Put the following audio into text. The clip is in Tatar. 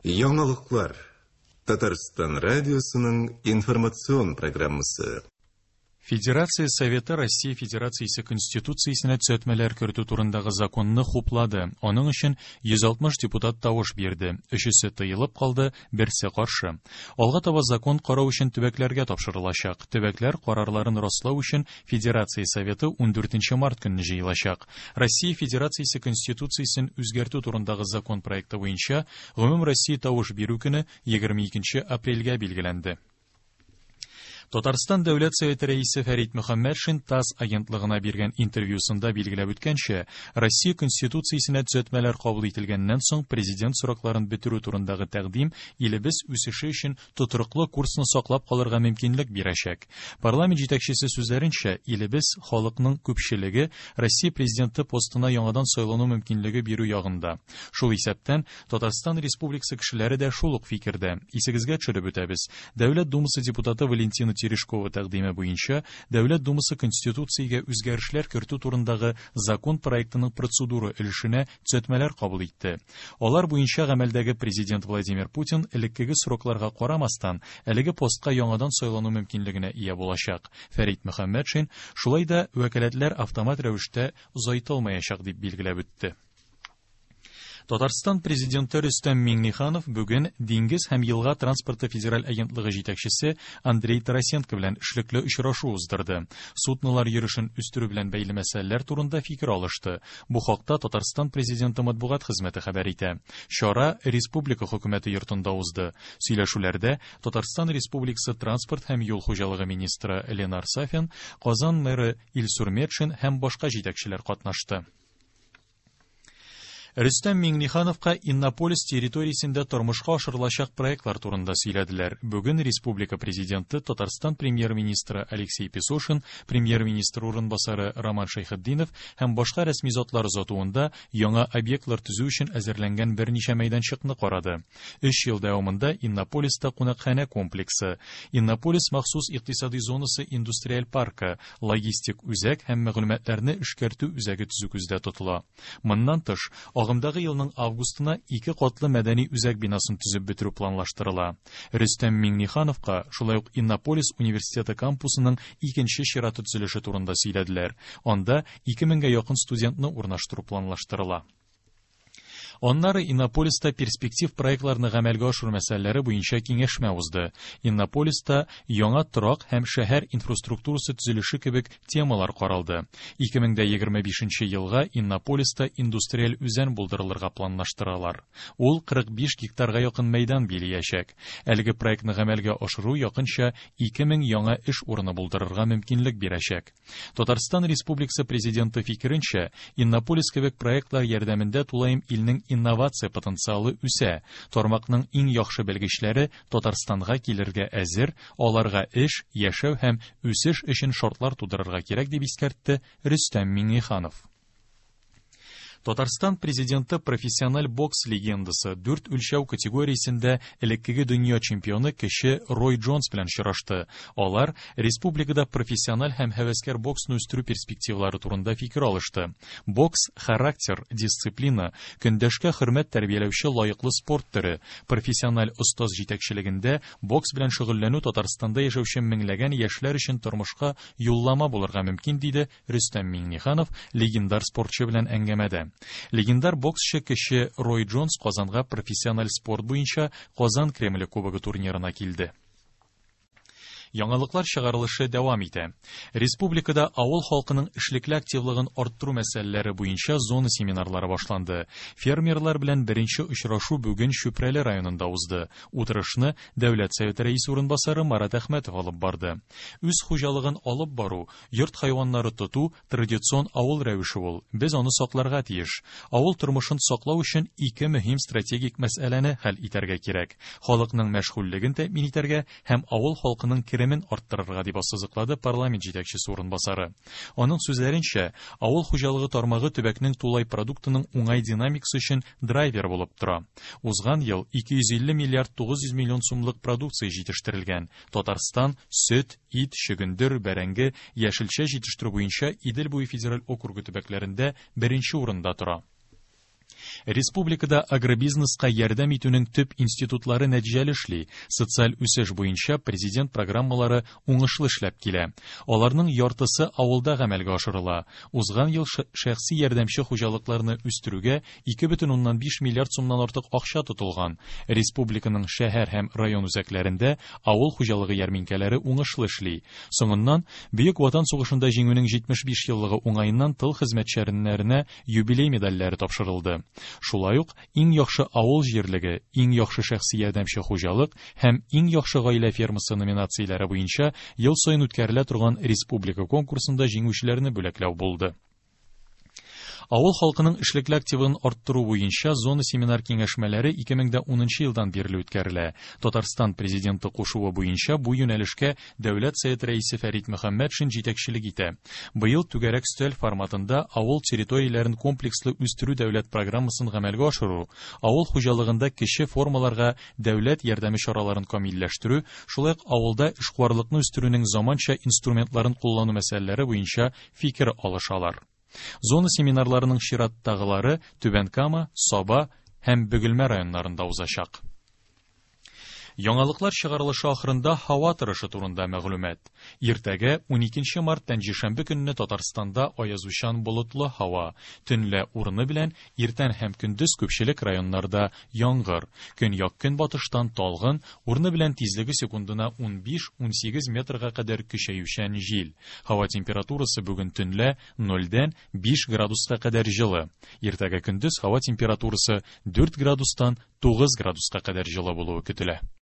Яңалыклар. Татарстан радиосының информацион программасы. Федерация Советы Россия Федерациясе Конституциясенә төзәтмәләр кертү турындагы законны хуплады. Аның өчен 160 депутат тавыш бирде. Өчесе тыелып калды, берсе каршы. Алга таба закон карау өчен төбәкләргә тапшырылачак. Төбәкләр карарларын раслау өчен Федерация Советы 14 март көнне җыелачак. Россия Федерациясе Конституциясен үзгәртү турындагы закон проекты буенча гомумроссия тавыш бирү көне 22 апрельгә билгеләнде. Татарстан Дәүләт Советы рәисе Фәрит Мөхәммәтшин ТАСС агентлыгына биргән интервьюсында билгеләп үткәнчә, Россия Конституциясенә төзәтмәләр кабул ителгәннән соң президент срокларын бетерү турындагы тәкъдим илебез үсеше өчен тотрыклы курсны саклап калырга мөмкинлек бирәчәк. Парламент җитәкчесе сүзләренчә, илебез халыкның күпчелеге Россия президенты постына яңадан сайлану мөмкинлеге бирү ягында. Шул исәптән, Татарстан Республикасы кешеләре дә шул ук фикердә. Исегезгә төшереп үтәбез. Дәүләт Думасы депутаты Валентина Терешкова тәкъдиме буенча Дәүләт Думасы Конституциягә үзгәрешләр кертү турындагы закон проектының процедура өлешенә төзәтмәләр кабул итте. Алар буенча гамәлдәге президент Владимир Путин элеккеге срокларга карамастан, әлеге постка яңадан сайлану мөмкинлегенә ия булачак. Фәрит Мөхәммәтшин шулай да вәкаләтләр автомат рәвештә озайтылмаячак дип билгеләп үтте. Татарстан президенты Рөстәм Миңнеханов бүген Диңгез һәм елга транспорты федераль агентлыгы җитәкчесе Андрей Тарасенко белән эшлекле очрашу уздырды. Суднолар йөрешен үстерү белән бәйле мәсьәләләр турында фикер алышты. Бу хакта Татарстан президенты матбугат хезмәте хәбәр итә. Чара республика хөкүмәте йортында узды. Сөйләшүләрдә Татарстан Республикасы транспорт һәм юл хуҗалыгы министры Ленар Сафин, Казан мэры Илсур Метшин һәм башка җитәкчеләр катнашты. Рөстәм Миңнехановка Иннополис территориясендә тормышка ашырылачак проектлар турында сөйләделәр. Бүген республика президенты, Татарстан премьер-министры Алексей Песошин, премьер-министр урынбасары Роман Шәйхетдинов һәм башка рәсми затлар озатуында яңа объектлар төзү өчен әзерләнгән берничә мәйданчыкны карады. Өч ел дәвамында Иннополиста кунакханә комплексы, Иннополис махсус икътисади зонасы индустриаль паркы, логистик үзәк һәм мәгълүматларны эшкәртү үзәге төзү күздә тотыла. Моннан тыш, агымдагы елның августына ике катлы мәдәни үзәк бинасын төзеп бетерү планлаштырыла. Рөстәм Миңнехановка шулай ук Иннополис университеты кампусының икенче чираты төзелеше турында сөйләделәр. Анда 2000гә якын студентны урнаштыру планлаштырыла. Аннары Иннополиста перспектив проектларны гамәлгә ашыру мәсьәләләре буенча киңәшмә узды. Иннополиста яңа торак һәм шәһәр инфраструктурасы төзелеше кебек темалар каралды. 2025 елга Иннополиста индустриаль үзән булдырылырга планлаштыралар. Ул 45 гектарга якын мәйдан билиячәк. Әлеге проектны гамәлгә ашыру якынча 2000 яңа эш урыны булдырырга мөмкинлек бирәчәк. Татарстан Республикасы президенты фикеренчә, Иннополис кебек проектлар ярдәмендә тулаем илнең инновация потенциалы үсә. Тармакның иң яхшы белгечләре Татарстанга килергә әзер, аларга эш, яшәү һәм үсеш өчен шартлар тудырырга кирәк, дип искәртте Рөстәм Миңнеханов. Татарстан президенты профессиональ бокс легендасы, дүрт үлчәү категориясендә элеккеге дөнья чемпионы кече Рой Джонс белән очрашты. Алар республикада профессиональ һәм һәвәскәр боксны үстерү перспективалары турында фикер алышты. Бокс характер, дисциплина, көндәшкә хөрмәт тәрбияләүче лаеклы спорт төре. Профессиональ остаз җитәкчелегендә бокс белән шөгыльләнү Татарстанда яшәүче меңләгән яшьләр өчен тормышка юллама булырга мөмкин, диде Рөстәм Миңнеханов легендар спортчы белән әңгәмәдә. Легендар боксчы кече Рой Джонс Казанга профессиональ спорт буенча Казан Кремле кубогы турнирына килде. Яңалыклар чыгарылышы дәвам итә. Республикада авыл халкының эшлекле активлыгын арттыру мәсьәләләре буенча зона семинарлары башланды. Фермерлар белән беренче очрашу бүген Чүпрәле районында узды. Утырышны Дәүләт Советы рәисе урынбасары Марат Әхмәтов алып барды. Үз хуҗалыгын алып бару, йорт хайваннары тоту традицион авыл рәвеше ул. Без аны сакларга тиеш. Авыл тормышын саклау өчен ике мөһим стратегик мәсьәләне хәл итәргә кирәк. Халыкның мәшгульлеген тәэмин итәргә һәм авыл халкының керемен арттырырга, дип ассызыклады парламент җитәкчесе урынбасары. Аның сүзләренчә, авыл хуҗалыгы тармагы төбәкнең тулай продуктының уңай динамикасы өчен драйвер булып тора. Узган ел 250 миллиард 900 миллион сумлык продукция җитештерелгән. Татарстан сөт, ит, чөгендер, бәрәңге, яшелчә җитештерү буенча Идел буе федераль округы төбәкләрендә беренче урында тора. Республикада агробизнеска ярдәм итүнең төп институтлары нәтиҗәле эшли. Социаль үсеш буенча президент программалары уңышлы эшләп килә. Аларның яртысы авылда гамәлгә ашырыла. Узган ел шәхси ярдәмче хуҗалыкларны үстерүгә 2,5 миллиард сумнан артык акча тотылган. Республиканың шәһәр һәм район үзәкләрендә авыл хуҗалыгы ярминкәләре уңышлы эшли. Соңыннан Бөек Ватан сугышында җиңүнең 75 еллыгы уңаеннан тыл хезмәтчәннәренә юбилей медальләре тапшырылды. Шулай ук иң яхшы авыл җирлеге, иң яхшы шәхси ярдәмче хуҗалык һәм иң яхшы гаилә фермасы номинацияләре буенча ел саен үткәрелә торган республика конкурсында җиңүчеләрне бүләкләү булды. Авыл халкының эшлекле активын арттыру буенча зона семинар киңәшмәләре 2010 елдан бирле үткәрелә. Татарстан президенты кушуы буенча бу юнәлешкә Дәүләт Совет рәисе Фәрит Мөхәммәтшин җитәкчелек итә. Быел түгәрәк өстәл форматында авыл территорияләрен комплекслы үстерү дәүләт программасын гамәлгә ашыру, авыл хуҗалыгында кече формаларга дәүләт ярдәме чараларын камилләштерү, шулай ук авылда эшкуарлыкны үстерүнең заманча инструментларын куллану мәсьәләләре буенча фикер алышалар. Зона семинарларының чираттагылары Түбән Кама, Саба һәм Бөгелмә районнарында узачак. Яңалыклар чыгарылышы ахырында һава торышы турында мәгълүмат. Иртәгә 12 март пәнҗешәмбе көнне Татарстанда аязучан болытлы һава. Төнлә урыны белән иртән һәм көндез күпчелек районнарда яңгыр. Көньяк-көнбатыштан талгын, урыны белән тизлеге секундына 15-18 метрга кадәр көчәючән җил. Һава температурасы бүген төнлә 0-дән 5 градуска кадәр җылы. Иртәгә көндез һава температурасы 4 градустан 9 градуска кадәр җылы булуы көтелә.